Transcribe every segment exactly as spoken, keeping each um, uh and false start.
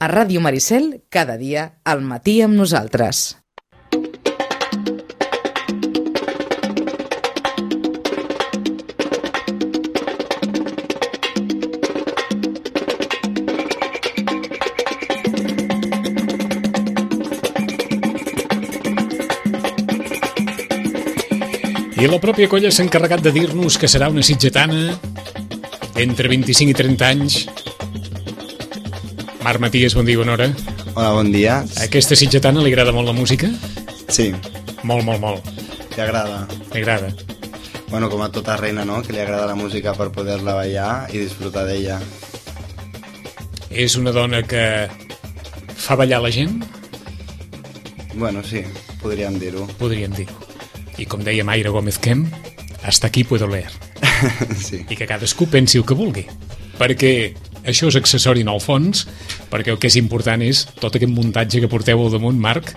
A Ràdio Maricel, cada dia, al matí amb nosaltres. I la pròpia colla s'ha encarregat de dir-nos que serà una sitgetana entre vint-i-cinc i trenta anys. Marc Maties, bon dia, bona hora. Hola, bon dia. A aquesta sitgetana li agrada molt la música? Sí. Molt, molt, molt. Li agrada. Li agrada. Bueno, com a tota reina, no?, que li agrada la música per poder-la ballar i disfrutar d'ella. És una dona que fa ballar la gent? Bueno, sí, podríem dir-ho. Podríem dir-ho. I com deia Mayra Gómez Kemp, hasta aquí puedo leer. Sí. I que cadascú pensi el que vulgui. Perquè això és accessori en el fons, perquè el que és important és tot aquest muntatge que porteu al damunt, Marc,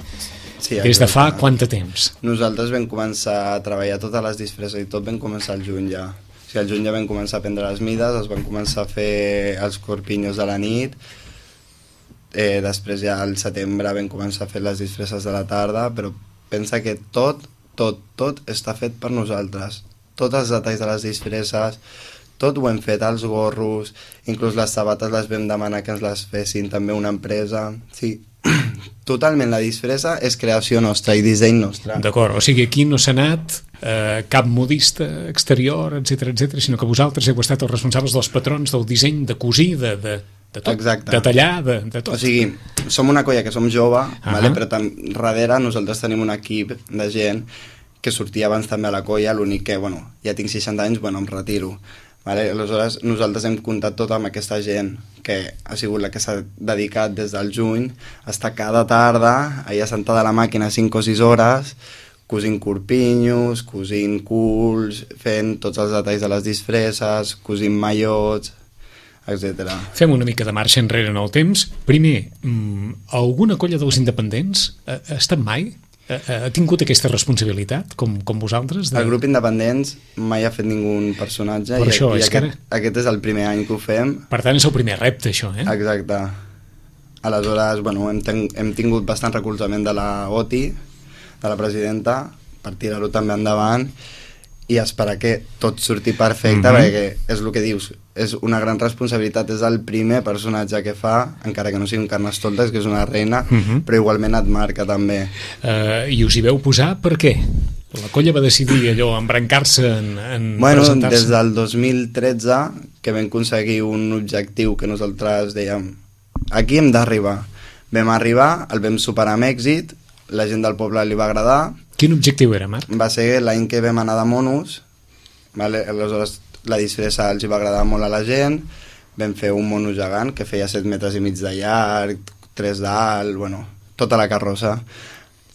Sí, des de fa exacte. quant de temps? Nosaltres vam començar a treballar totes les disfresses i tot vam començar al juny ja. O sigui, al juny ja vam començar a prendre les mides, es van començar a fer els corpinyos de la nit, eh, després ja al setembre vam començar a fer les disfresses de la tarda, però pensa que tot, tot, tot està fet per nosaltres. Tots els detalls de les disfresses, tot ho hem fet, els gorros, inclús les sabates les vam demanar que ens les fessin també una empresa. Sí, totalment la disfressa és creació nostra i disseny nostre. D'acord, o sigui, aquí no s'ha anat eh, cap modista exterior, etcètera, etcètera, sinó que vosaltres heu estat els responsables dels patrons, del disseny, de cosir, de, de, de tot, Exacte. de tallar, de, de tot. O sigui, som una colla que som jove, Uh-huh. vale? Però tam darrere nosaltres tenim un equip de gent que sortia abans també a la colla, l'únic que, bueno, ja tinc seixanta anys, bueno, em retiro. Vale? Aleshores, nosaltres hem comptat tot amb aquesta gent que ha sigut la que s'ha dedicat des del juny a estar cada tarda allà sentada a la màquina cinc o sis hores, cosint corpinyos, cosint culs, fent tots els detalls de les disfresses, cosint maillots, etcètera. Fem una mica de marxa enrere en el temps. Primer, mmm, alguna colla dels independents ha, ha estat mai? Ha, ha tingut aquesta responsabilitat, com, com vosaltres? De... El grup Independents mai ha fet ningú personatge. Per i, això, i és aquest, que ara... aquest és el primer any que ho fem. Per tant, és el primer repte, això, eh? Exacte. Aleshores, bueno, hem, ten hem tingut bastant recolzament de la O T I, de la presidenta, per tirar-ho també endavant i esperar que tot surti perfecte, Mm-hmm. perquè és el que dius, és una gran responsabilitat, és el primer personatge que fa, encara que no sigui un Carnestoltes, que és una reina, Mhm. però igualment et marca també. Uh, I us hi veu posar per què? La colla va decidir allò, embrancar-se en, en Bueno, presentar-se. des del dos mil tretze que vam aconseguir un objectiu que nosaltres dèiem aquí hem d'arribar. Vam arribar, el vam superar amb èxit, la gent del poble li va agradar. Quin objectiu era, Marc? Va ser l'any que vam anar de monos, vale? Aleshores la disfressa els hi va agradar molt a la gent, vam fer un mono gegant que feia set metres i mig de llarg, tres d'alt, bueno, tota la carrossa.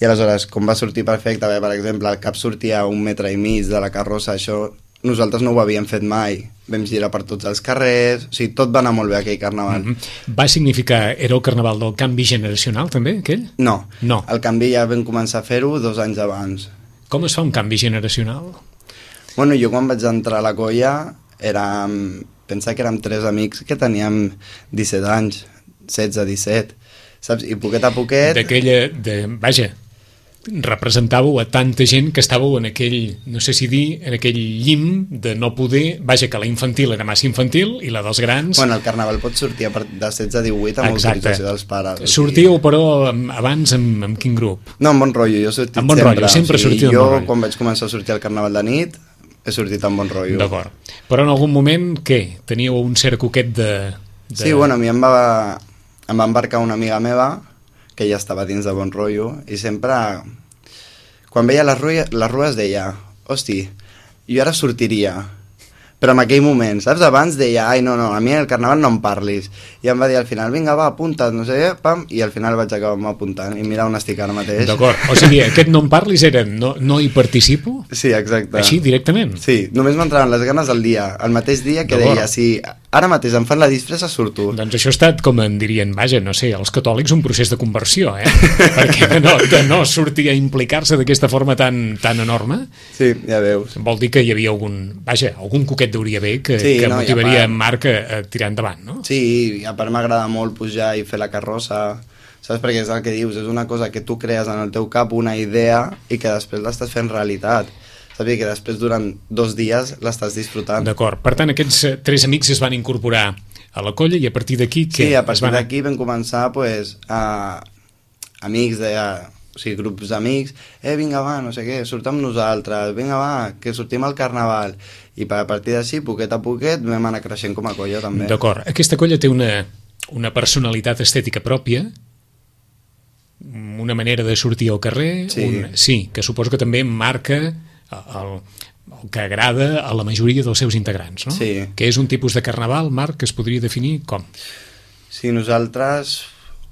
I aleshores, com va sortir perfecte, bé, per exemple, el cap sortia a un metre i mig de la carrossa, això nosaltres no ho havíem fet mai. Vam girar per tots els carrers, o sigui, tot va anar molt bé aquell carnaval. Mm-hmm. Va significar, era el carnaval del canvi generacional, també, aquell? No, No. el canvi ja vam començar a fer-ho dos anys abans. Com es fa un canvi generacional? Bueno, jo quan vaig entrar a la colla érem, pensa que érem tres amics que teníem disset anys, setze, disset, saps? I poquet a poquet... D'aquella, de, vaja, representàveu a tanta gent que estàveu en aquell, no sé si dir, en aquell llim de no poder, vaja, que la infantil era massa infantil i la dels grans... Bueno, el carnaval pot sortir a partir de setze a divuit amb Exacte. autorització dels pares. Sortíeu, però, amb- abans amb, amb quin grup? No, amb bon rotllo, jo he sortit Amb bon sempre. rotllo, sempre o sigui, sortit amb jo, bon rotllo. quan vaig començar a sortir al carnaval de nit, he sortit amb bon rotllo. D'acord. Però en algun moment, què? Teníeu un cert coquet de... de... Sí, bueno, a mi em va, em va embarcar una amiga meva, que ja estava dins de bon rotllo, i sempre, quan veia les, rues, les rues deia, hosti, jo ara sortiria, però en aquell moment, saps? Abans deia, ai, no, no, a mi el carnaval no em parlis. I em va dir al final, vinga, va, apunta't, no sé què, pam, i al final vaig acabar apuntant, i mira on estic ara mateix. D'acord, o sigui, aquest no em parlis era no, no hi participo? Sí, exacte. Així, directament? Sí, només m'entraven les ganes al dia, el mateix dia que D'acord. deia, si ara mateix em fan la disfressa, surto. Doncs això ha estat, com en dirien, vaja, no sé, els catòlics, un procés de conversió, eh? Perquè de no, de no sortir a implicar-se d'aquesta forma tan, tan enorme, Sí, ja veus. vol dir que hi havia algun, vaja, algun coquet d'hauria haver que, Sí, que no, i a motivaria part- en Marc a, a tirar endavant, no? Sí, i a part m'agrada molt pujar i fer la carrossa, saps? Perquè és el que dius, és una cosa que tu crees en el teu cap, una idea, i que després l'estàs fent realitat. Saps? I que després durant dos dies l'estàs disfrutant. D'acord, per tant, aquests eh, tres amics es van incorporar a la colla i a partir d'aquí... què? Sí, a Es partir van- d'aquí vam començar pues, a amics de... O sigui, grups d'amics, eh, vinga, va, no sé què, surt amb nosaltres, vinga, va, que sortim al carnaval. I a partir d'així, poquet a poquet, vam anar creixent com a colla, també. D'acord, aquesta colla té una, una personalitat estètica pròpia, una manera de sortir al carrer, Sí. un, sí, que suposo que també marca el, el que agrada a la majoria dels seus integrants, no? Sí. Que és un tipus de carnaval, Marc, que es podria definir com? Sí, nosaltres,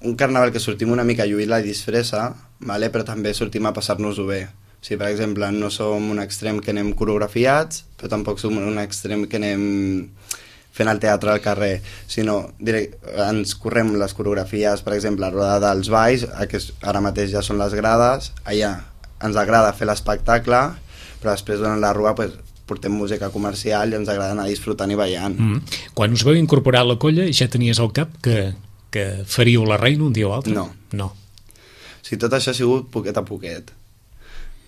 un carnaval que sortim una mica a lluir la disfressa, vale? Però també sortim a passar-nos-ho bé. O sigui, per exemple, no som un extrem que anem coreografiats, però tampoc som un extrem que anem fent el teatre al carrer, sinó direct, ens correm les coreografies, per exemple, a Roda dels Valls, que ara mateix ja són les grades, allà ens agrada fer l'espectacle, però després durant la rua pues, portem música comercial i ens agrada anar disfrutant i ballant. Mm. Quan us veu incorporar a la colla ja tenies al cap que, que faríeu la reina un dia o altre? No. No. O sigui, tot això ha sigut poquet a poquet.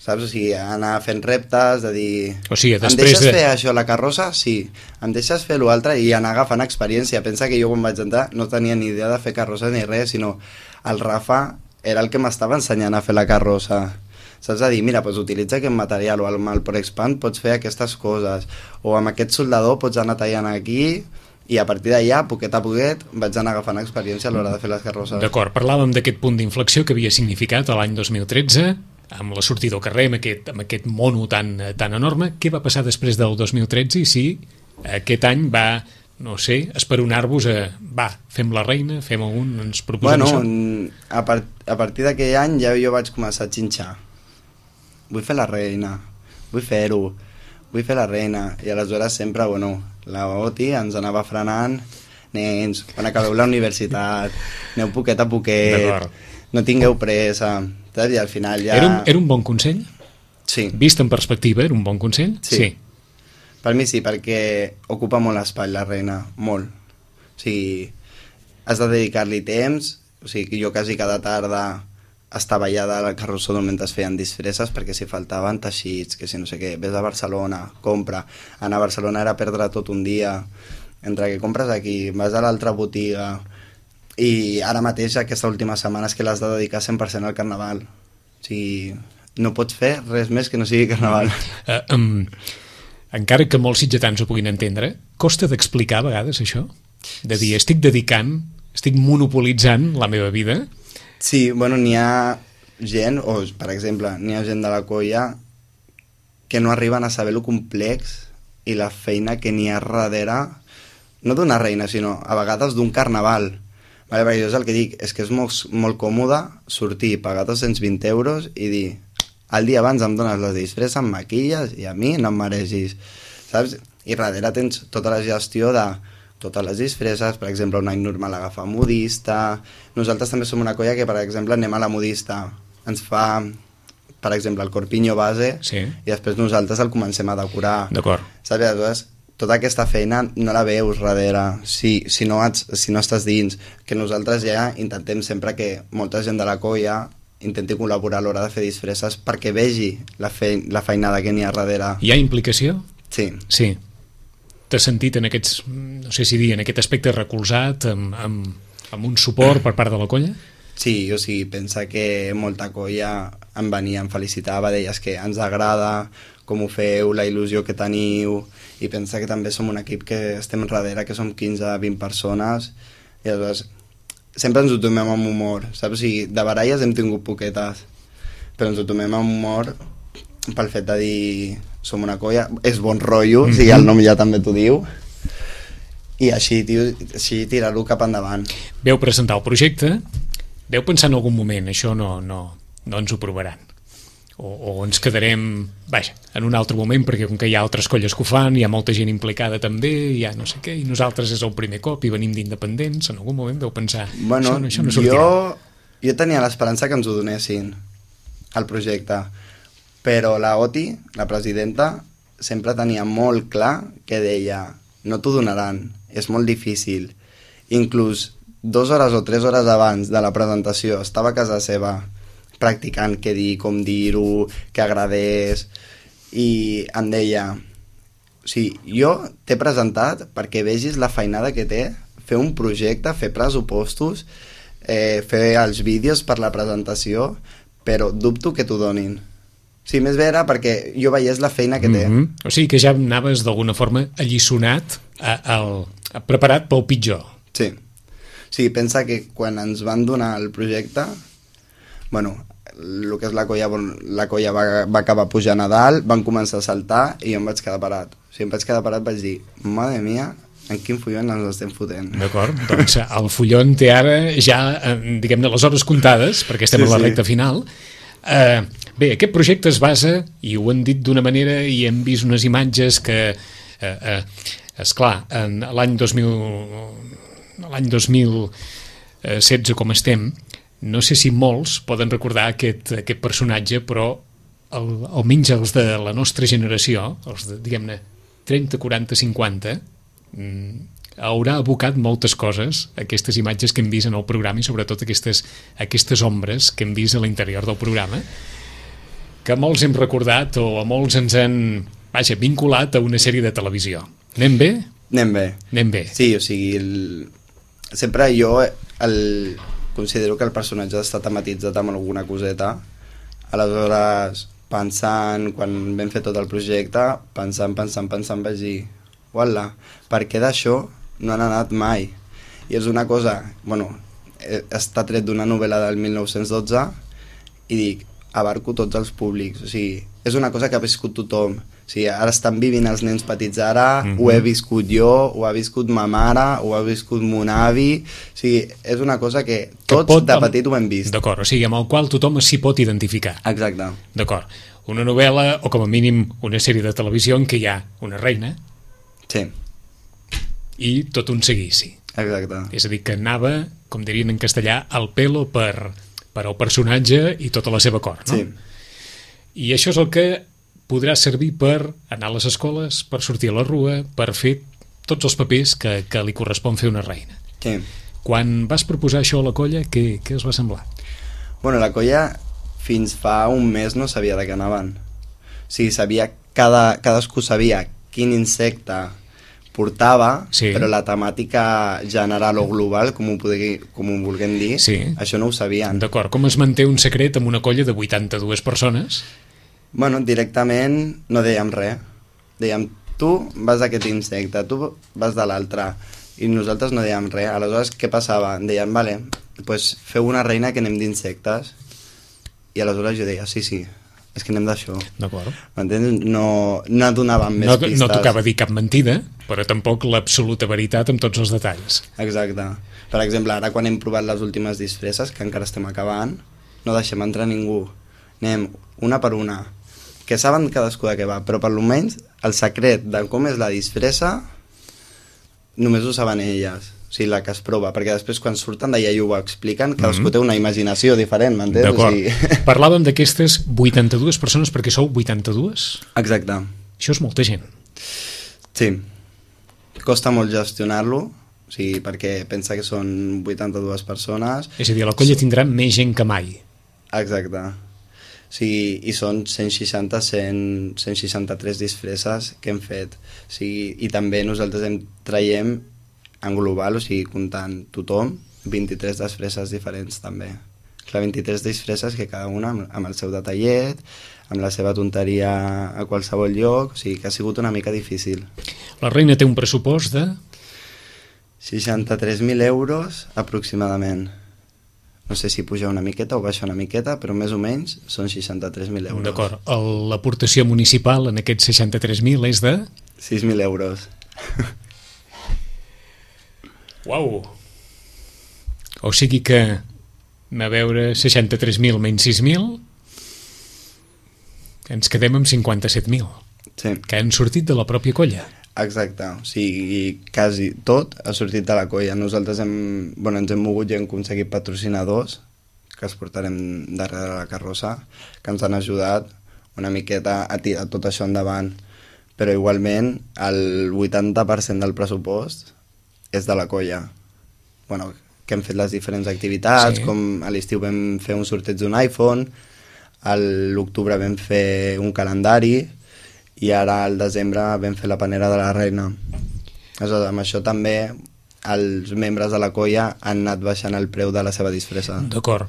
Saps? O sigui, anar fent reptes, de dir... O sigui, em després deixes de... fer això, la carrossa? Sí. Em deixes fer l'altre i anar agafant experiència. Pensa que jo quan vaig entrar no tenia ni idea de fer carrossa ni res, sinó el Rafa era el que m'estava ensenyant a fer la carrossa. Saps? A dir, mira, doncs utilitza aquest material, o amb el ProExpand pots fer aquestes coses, o amb aquest soldador pots anar tallant aquí, i a partir d'allà, poquet a poquet, vaig anar agafant experiència a l'hora de fer les carrosses. D'acord, parlàvem d'aquest punt d'inflexió que havia significat l'any dos mil tretze, amb la sortida al carrer, amb aquest, amb aquest mono tan, tan enorme. Què va passar després del dos mil tretze i si aquest any va, no sé, esperonar-vos a... Va, fem la reina, fem un, ens proposem bueno, això? A, part, a partir d'aquell any ja jo vaig començar a xinxar. Vull fer la reina, vull fer-ho, vull fer la reina. I aleshores sempre, bueno, la Oti ens anava frenant, nens, quan acabeu la universitat, aneu poquet a poquet, no tingueu pressa, saps? I al final ja... Era un, era un bon consell? Sí. Vist en perspectiva, era un bon consell? Sí. sí. Per mi sí, perquè ocupa molt espai la reina, molt. O sigui, has de dedicar-li temps, o sigui, jo quasi cada tarda estava allà al carrossó mentre es feien disfresses, perquè si faltaven teixits, que si no sé què, vés a Barcelona, compra. Anar a Barcelona era perdre tot un dia, entre que compres aquí, vas a l'altra botiga, i ara mateix, aquesta última setmana, és que l'has de dedicar cent per cent al carnaval. O sigui, no pots fer res més que no sigui carnaval. Uh, um, encara que molts sitgetans ho puguin entendre, costa d'explicar a vegades això? De dir, estic dedicant, estic monopolitzant la meva vida? Sí, bueno, n'hi ha gent, o per exemple, n'hi ha gent de la colla que no arriben a saber lo complex i la feina que n'hi ha darrere, no d'una reina, sinó a vegades d'un carnaval. Vale, perquè jo és el que dic, és que és molt, molt còmode sortir, pagar dos-cents vint euros i dir, el dia abans em dones les disfresses, em maquilles i a mi no em mereixis, saps? I darrere tens tota la gestió de totes les disfresses, per exemple, un any normal agafa modista, nosaltres també som una colla que, per exemple, anem a la modista, ens fa, per exemple, el corpinyo base, sí. I després nosaltres el comencem a decorar. D'acord. Saps? Aleshores, tota aquesta feina no la veus darrere, si, si, no ets, si no estàs dins, que nosaltres ja intentem sempre que molta gent de la colla intenti col·laborar a l'hora de fer disfresses perquè vegi la, fe, la feinada que n'hi ha darrere. Hi ha implicació? Sí. Sí. T'has sentit en aquests, no sé si dir, en aquest aspecte recolzat, amb, amb, amb un suport per part de la colla? Sí, o sigui, pensa que molta colla em venia, em felicitava, deies que ens agrada, com ho feu, la il·lusió que teniu, i pensa que també som un equip que estem darrere, que som quinze a vint persones, i aleshores sempre ens ho tomem amb humor, saps? O sigui, de baralles hem tingut poquetes, però ens ho tomem amb humor pel fet de dir som una colla, és bon rotllo, mm-hmm. O sigui, el nom ja també t'ho diu, i així, tio, així tirar-lo cap endavant. Veu presentar el projecte, veu pensar en algun moment, això no, no, no ens ho provaran. o, o ens quedarem, vaja, en un altre moment, perquè com que hi ha altres colles que ho fan, hi ha molta gent implicada també, hi ha no sé què, i nosaltres és el primer cop i venim d'independents, en algun moment deu pensar, bueno, això, això no sortirà. Jo, jo tenia l'esperança que ens ho donessin, el projecte, però la Oti, la presidenta, sempre tenia molt clar que deia, no t'ho donaran, és molt difícil. Inclús dues hores o tres hores abans de la presentació estava a casa seva practicant què dir, com dir-ho, que agradés, i em deia, o sigui, jo t'he presentat perquè vegis la feinada que té fer un projecte, fer pressupostos, eh, fer els vídeos per la presentació, però dubto que t'ho donin. Sí, més bé era perquè jo veiés la feina que té. Mm-hmm. O sigui que ja anaves d'alguna forma alliçonat, a, a, a, preparat pel pitjor. Sí. Sí, pensa que quan ens van donar el projecte, bueno, el que és la colla, la colla va, va acabar pujant a dalt, van començar a saltar i jo em vaig quedar parat. O sigui, em vaig quedar parat, vaig dir, mare mia, en quin follon ens estem fotent. D'acord, doncs el follon té ara ja, diguem-ne, les hores comptades, perquè estem sí, a la recta sí. final. Eh, bé, aquest projecte es basa, i ho han dit d'una manera, i hem vist unes imatges que, eh, eh, esclar, en l'any dos mil, l'any dos mil setze com estem, no sé si molts poden recordar aquest, aquest personatge, però el, almenys els de la nostra generació, els de, diguem-ne, trenta, quaranta, cinquanta, haurà abocat moltes coses, aquestes imatges que hem vist en el programa i sobretot aquestes, aquestes ombres que hem vist a l'interior del programa, que molts hem recordat o a molts ens han, vaja, vinculat a una sèrie de televisió. Anem bé? Anem bé. Anem bé. Sí, o sigui, el... sempre jo el... considero que el personatge està tematitzat amb alguna coseta, aleshores pensant, quan vam fer tot el projecte, pensant, pensant, pensant, vaig dir, uala, per què d'això no han anat mai? I és una cosa, bueno, està tret d'una novel·la del mil nou-cents dotze i dic, abarco tots els públics, o sigui, és una cosa que ha viscut tothom. O sigui, ara estan vivint els nens petits ara, mm-hmm. ho he viscut jo, ho ha viscut ma mare, ho ha viscut mon avi, o sigui, és una cosa que tots que pot, de petit ho hem vist. D'acord, o sigui, amb el qual tothom s'hi pot identificar. Exacte. D'acord. Una novel·la, o com a mínim una sèrie de televisió en què hi ha una reina. Sí. I tot un seguici. Exacte. És a dir, que anava, com dirien en castellà, al pelo per, per al personatge i tota la seva cort, no? Sí. I això és el que podrà servir per anar a les escoles, per sortir a la rua, per fer tots els papers que, que li correspon fer una reina. Sí. Quan vas proposar això a la colla, què, què us va semblar? Bueno, la colla fins fa un mes no sabia de què anaven. O sigui, sabia, cada, cadascú sabia quin insecte portava, sí. però la temàtica general o global, com ho, podri, com ho vulguem dir, sí. això no ho sabien. D'acord, com es manté un secret amb una colla de vuitanta-dues persones? Bueno, directament no dèiem res. Dèiem, tu vas d'aquest insecte, tu vas de l'altre, i nosaltres no dèiem res. Aleshores, què passava? Dèiem, vale, pues feu una reina que anem d'insectes. I aleshores jo deia, sí, sí, és que anem d'això. D'acord. M'entens? No, no donàvem més no, pistes. No tocava dir cap mentida, però tampoc l'absoluta veritat amb tots els detalls. Exacte. Per exemple, ara quan hem provat les últimes disfresses, que encara estem acabant, no deixem entrar ningú. Anem una per una, que saben cadascú de què va, però per almenys el secret de com és la disfressa només ho saben elles, o sigui, la que es prova, perquè després quan surten d'allà i ho expliquen, cadascú mm-hmm. té una imaginació diferent, m'entens? D'acord. O sigui... Parlàvem d'aquestes vuitanta-dues persones perquè sou vuitanta-dues? Exacte. Això és molta gent. Sí. Costa molt gestionar-lo, o sigui, perquè pensa que són vuitanta-dues persones. És a dir, la colla tindrà més gent que mai. Exacte. O sigui, i són cent seixanta, cent, cent seixanta-tres disfresses que hem fet. O sigui, i també nosaltres hem traiem en global, o sigui, comptant tothom, vint-i-tres disfresses diferents també. Clar, vint-i-tres disfresses que cada una amb, amb el seu detallet, amb la seva tonteria a qualsevol lloc, o sigui, que ha sigut una mica difícil. La reina té un pressupost de... seixanta-tres mil euros aproximadament. No sé si puja una miqueta o baixa una miqueta, però més o menys són seixanta-tres mil euros. D'acord. L'aportació municipal en aquests seixanta-tres mil és de... sis mil euros. Uau! O sigui que, a veure, seixanta-tres mil menys sis mil... ens quedem amb cinquanta-set mil, Sí. que han sortit de la pròpia colla. Exacte, o sigui, quasi tot ha sortit de la colla. Nosaltres hem, bueno, ens hem mogut i hem aconseguit patrocinadors que els portarem darrere la carrossa, que ens han ajudat una miqueta a tirar tot això endavant. Però igualment el vuitanta per cent del pressupost és de la colla. Bueno, que hem fet les diferents activitats, Sí. com a l'estiu vam fer un sorteig d'un iPhone, a l'octubre vam fer un calendari, i ara al desembre vam fer la panera de la reina. Aleshores, amb això també els membres de la colla han anat baixant el preu de la seva disfressa. D'acord.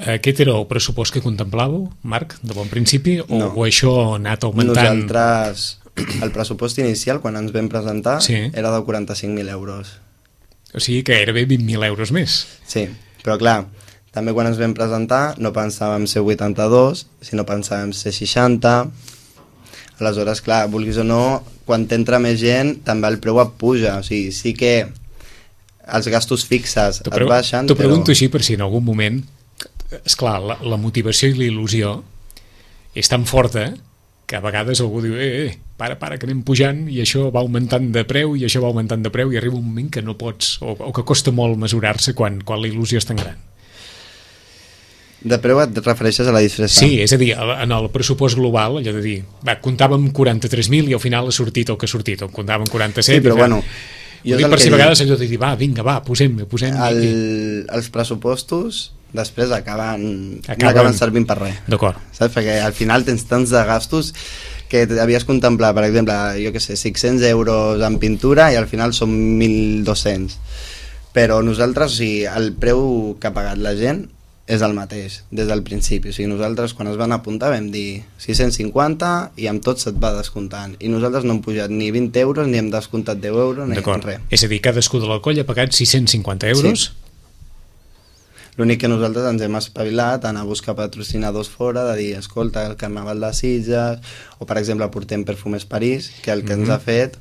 Aquest era el pressupost que contemplàveu, Marc, de bon principi, o, No. o això ha anat augmentant? Nosaltres, el pressupost inicial, quan ens vam presentar, Sí. era de quaranta-cinc mil euros. O sigui que gairebé vint mil euros més. Sí, però clar, també quan ens vam presentar no pensàvem ser vuitanta-dos, sinó pensàvem ser seixanta. Aleshores, clar, vulguis o no, quan t'entra més gent, també el preu et puja. O sigui, sí que els gastos fixes T'ho et baixen, T'ho però... pregunto així per si en algun moment... Esclar, la, la motivació i la il·lusió és tan forta que a vegades algú diu eh, eh, para, para, que anem pujant i això va augmentant de preu i això va augmentant de preu i arriba un moment que no pots, o, o que costa molt mesurar-se quan, quan la il·lusió és tan gran. De preu et refereixes a la disfressa? Sí, és a dir, en el pressupost global, allò de dir, va, comptàvem quaranta-tres mil i al final ha sortit el que ha sortit, o comptàvem quaranta-set... Sí, però i, bueno... Jo dic per si a vegades allò de dir, va, vinga, va, posem-ne, posem el, els pressupostos després acaben, Acaben- no acaben servint per res. D'acord. Saps? Perquè al final tens tants de gastos que havies contemplat, per exemple, jo que sé, cinc-cents euros en pintura i al final són mil dos-cents. Però nosaltres, o sigui, el preu que ha pagat la gent és el mateix, des del principi. O sigui, nosaltres quan es van apuntar vam dir sis-cents cinquanta i amb tot se't va descomptant. I nosaltres no hem pujat ni vint euros, ni hem descomptat deu euros, ni D'acord. res. És a dir, cadascú de la colla ha pagat sis-cents cinquanta euros. Sí. L'únic que nosaltres ens hem espavilat a anar a buscar patrocinadors fora, de dir, escolta, el Carnaval de Sitges, o per exemple portem Perfumes París, que el que Mhm. ens ha fet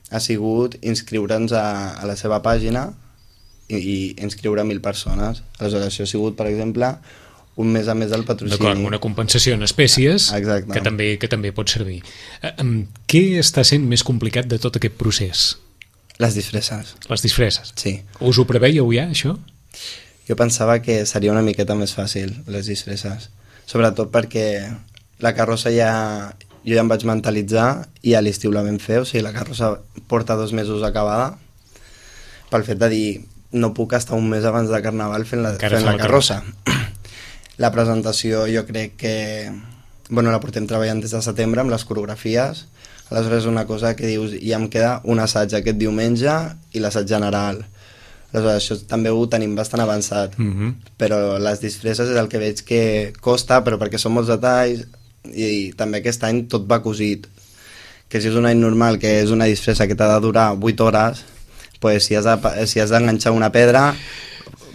ha sigut inscriure'ns a, a la seva pàgina i, i inscriure mil persones. Aleshores, això ha sigut, per exemple, un mes a més del patrocini. D'acord, una compensació en espècies Exacte. que també, que també pot servir. Eh, em, què està sent més complicat de tot aquest procés? Les disfresses, Les disfresses. sí. Us ho preveieu ja, això? Jo pensava que seria una miqueta més fàcil, les disfresses. Sobretot perquè la carrossa ja... Jo ja em vaig mentalitzar i a l'estiu la vam fer, o sigui, la carrossa porta dos mesos acabada, pel fet de dir, no puc estar un mes abans de Carnaval fent la, Encara fent fa la la carrossa. La presentació jo crec que... Bueno, la portem treballant des de setembre amb les coreografies, aleshores és una cosa que dius, ja em queda un assaig aquest diumenge i l'assaig general. Aleshores, això també ho tenim bastant avançat, Mm -hmm. però les disfresses és el que veig que costa, però perquè són molts detalls, i, i també aquest any tot va cosit, que si és un any normal, que és una disfressa que t'ha de durar vuit hores, pues si has de, si has d'enganxar una pedra,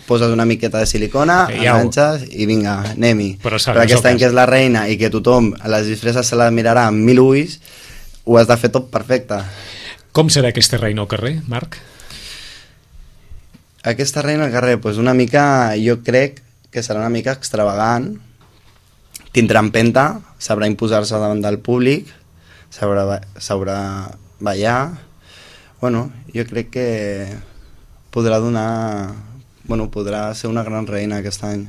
poses una miqueta de silicona, Eh, ja ho- enganxes i vinga, anem-hi. Però Però, saps, però aquest el any cas. que és la reina i que tothom a les disfresses se la mirarà amb mil ulls, ho has de fer tot perfecte. Com serà aquesta reina al carrer, Marc? Aquesta reina al carrer, pues una mica, jo crec que serà una mica extravagant, tindrà empenta, sabrà imposar-se davant del públic, sabrà, ba- sabrà ballar, bueno, jo crec que podrà donar, bueno, podrà ser una gran reina aquest any.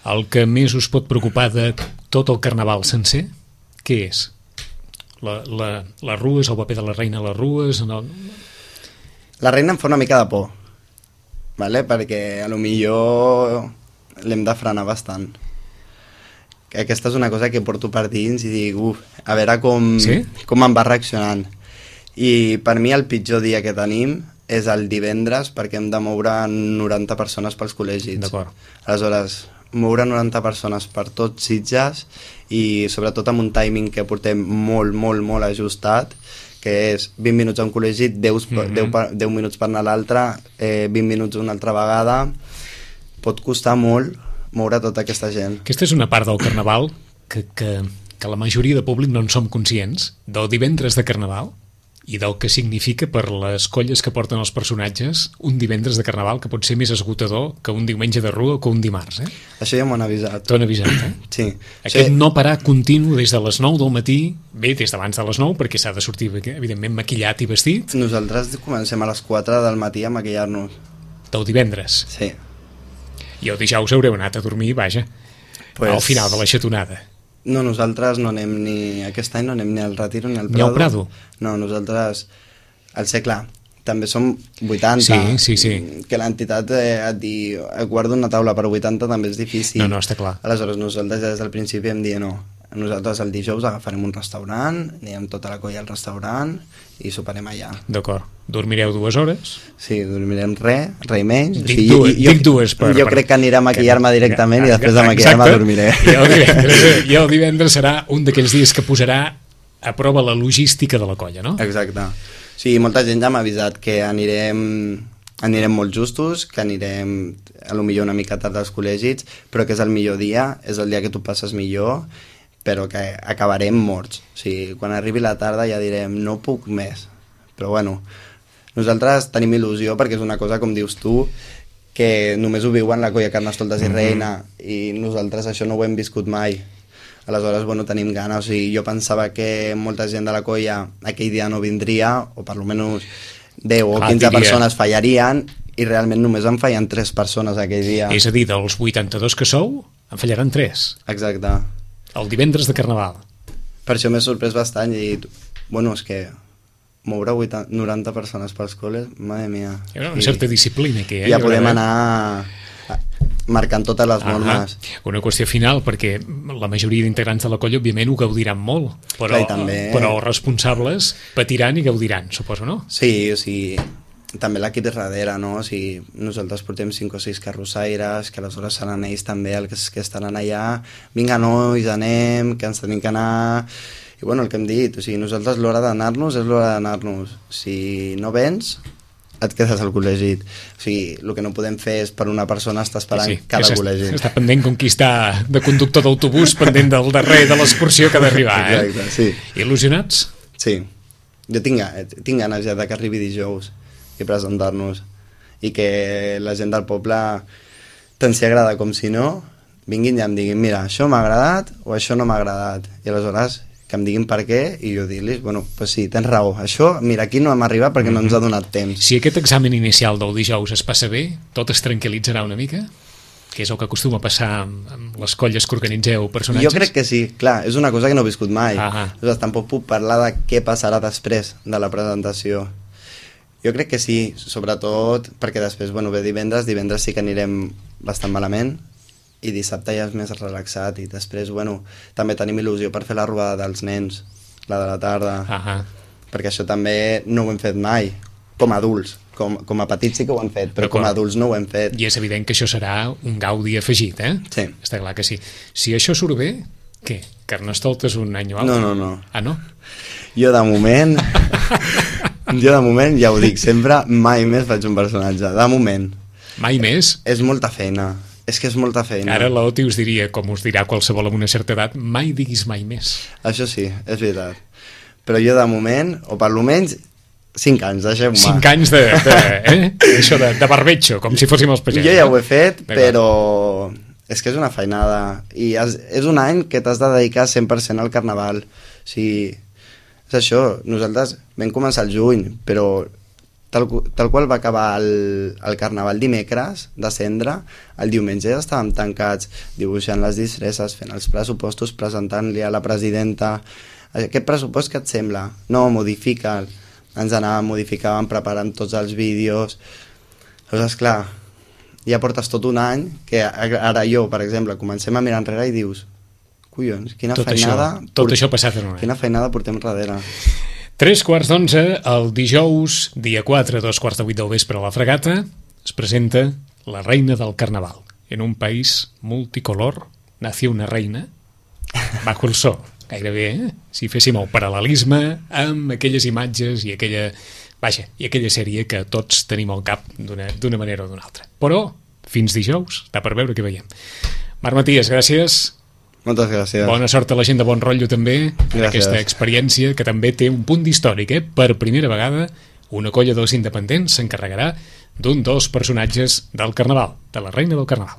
El que més us pot preocupar de tot el carnaval sencer, què és? La, la, les rues, el paper de la reina a les rues... En el... La reina em fa una mica de por, vale? Perquè a lo millor l'hem de frenar bastant. Que aquesta és una cosa que porto per dins i dic, uf, a veure com, Sí? com em va reaccionant. I per mi el pitjor dia que tenim és el divendres, perquè hem de moure noranta persones pels col·legis. D'acord. Aleshores, moure noranta persones per tots Sitges i sobretot amb un timing que portem molt, molt, molt ajustat, que és vint minuts a un col·legi, deu, Mhm. deu, per- deu minuts per anar a l'altre, eh, vint minuts una altra vegada, pot costar molt moure tota aquesta gent. Aquesta és una part del carnaval que, que, que la majoria de públic no en som conscients. Del divendres de carnaval, i del que significa per les colles que porten els personatges un divendres de Carnaval que pot ser més esgotador que un diumenge de rua o que un dimarts, eh? Això ja m'ho han avisat. T'ho han avisat, eh? Sí. Aquest Sí. no parar continu des de les nou del matí, bé, des d'abans de les nou, perquè s'ha de sortir, evidentment, maquillat i vestit, Nosaltres comencem a les quatre del matí a maquillar-nos. del divendres. Sí. I el dijous haureu anat a dormir, vaja, Pues... al final de la xatonada. No, nosaltres no anem ni... Aquest any no anem ni al Retiro ni al Ni al Prado. Prado? No, nosaltres... Al ser, clar, també som vuitanta. Sí, sí, sí. Que l'entitat eh, et di... Et guarda una taula per vuitanta també és difícil. No, no, està clar. Aleshores, nosaltres ja des del principi hem dit no. Nosaltres el dijous agafarem un restaurant, anirem tota la colla al restaurant i soparem allà. D'acord. Dormireu dues hores? Sí, dormirem res, res i menys. Dic, o sigui, dues, jo, dic dues. Per, jo per... crec que aniré a maquillar-me directament que, i després de maquillar-me dormiré. I el, divendres, I el divendres serà un d'aquells dies que posarà a prova la logística de la colla, no? Exacte. Sí, molta gent ja m'ha avisat que anirem, anirem molt justos, que anirem a lo millor una mica tard als col·legis, però que és el millor dia, és el dia que tu passes millor, però que acabarem morts. O sigui, quan arribi la tarda ja direm no puc més. Però bueno, nosaltres tenim il·lusió perquè és una cosa, com dius tu, que només ho viuen la colla Carnestoltes i Mhm. Reina, i nosaltres això no ho hem viscut mai. Aleshores, bueno, tenim ganes. O sigui, jo pensava que molta gent de la colla aquell dia no vindria, o per almenys deu o Clar, quinze diria. persones fallarien, i realment només en fallen tres persones aquell dia. És a dir, dels vuitanta-dos que sou, en fallaran tres. Exacte. El divendres de Carnaval. Per això m'he sorprès bastant i, bueno, és que moure vuitanta, noranta persones pels col·les, madre mia. Hi ha una certa disciplina aquí, eh? Ja Hi haurà podem d'haver- anar marcant totes les normes. Ah, una qüestió final, perquè la majoria d'integrants de la colla, òbviament, ho gaudiran molt, però, Clar, i també- però els responsables patiran i gaudiran, suposo, no? Sí, o sigui, també l'equip és darrere, no? O sigui, nosaltres portem cinc o sis carrossaires, que aleshores seran ells també els que estaran allà. Vinga, nois, anem, que ens tenim que anar... I bueno, el que hem dit, o sigui, nosaltres l'hora d'anar-nos és l'hora d'anar-nos. Si no vens, et quedes al col·legi. O sigui, el que no podem fer és per una persona estar esperant Sí, sí, cada que col·legi. Està pendent com qui està de conductor d'autobús pendent del darrer de l'excursió que ha d'arribar, eh? Exacte, sí. Il·lusionats? Sí. Jo tinc, ga- tinc ganes ja de que arribi dijous i presentar-nos. I que la gent del poble, tant si agrada com si no, vinguin i em diguin, mira, això m'ha agradat o això no m'ha agradat. I aleshores que em diguin per què i jo dir-los, bueno, pues sí, tens raó, això, mira, aquí no hem arribat perquè no ens ha donat temps. Si aquest examen inicial del dijous es passa bé, tot es tranquil·litzarà una mica? Que és el que acostuma a passar amb, amb les colles que organitzeu personatges? Jo crec que sí, clar, és una cosa que no he viscut mai. Ah, Aleshores, tampoc puc parlar de què passarà després de la presentació. Jo crec que sí, sobretot perquè després, bueno, ve divendres, divendres sí que anirem bastant malament, i dissabte ja és més relaxat, i després, bueno, també tenim il·lusió per fer la robada dels nens, la de la tarda, ah, perquè això també no ho hem fet mai, com a adults. Com, com a petits sí que ho hem fet, però com a adults no ho hem fet. I és evident que això serà un gaudi afegit, eh? Sí. Està clar que sí. Si això surt bé, què? Carnestoltes un any o altre? No, no, no. Ah, no? Jo de moment, jo de moment, ja ho dic sempre, mai més faig un personatge, de moment. Mai més? És molta feina, és que és molta feina. Ara l'Oti us diria, com us dirà qualsevol amb una certa edat, mai diguis mai més. Això sí, és veritat. Però jo de moment, o per almenys cinc anys, deixeu-me. Cinc anys de, de, eh? Això de, de barbecho, com si fóssim els pagesos. Jo ja ho he fet, D'acord. però és que és una feinada. I és, és un any que t'has de dedicar cent per cent al carnaval. O sigui, és això, nosaltres vam començar el juny, però tal, tal qual va acabar el, el carnaval dimecres de cendre, el diumenge ja estàvem tancats dibuixant les disfresses, fent els pressupostos, presentant-li a la presidenta aquest pressupost que et sembla? No, modifica'l. Ens anàvem, modificàvem, preparant tots els vídeos. Llavors, clar, ja portes tot un any que ara jo, per exemple, comencem a mirar enrere i dius, collons, quina Tot feinada... això, tot això passat en un any. Quina feinada portem darrere. Tres quarts d'onze, el dijous, dia quatre, dos quarts de vuit del vespre a la Fregata, es presenta la reina del carnaval. En un país multicolor nació una reina bajo el sol. Gairebé, eh? Si féssim el paral·lelisme amb aquelles imatges i aquella, vaja, i aquella sèrie que tots tenim al cap d'una d'una manera o d'una altra. Però, fins dijous, està per veure què veiem. Marc Matías, gràcies. Moltes gràcies. Bona sort a la gent de Bon Rotllo també, en Gràcies. aquesta experiència que també té un punt d'històric, eh? Per primera vegada una colla dels independents s'encarregarà d'un dels personatges del Carnaval, de la Reina del Carnaval.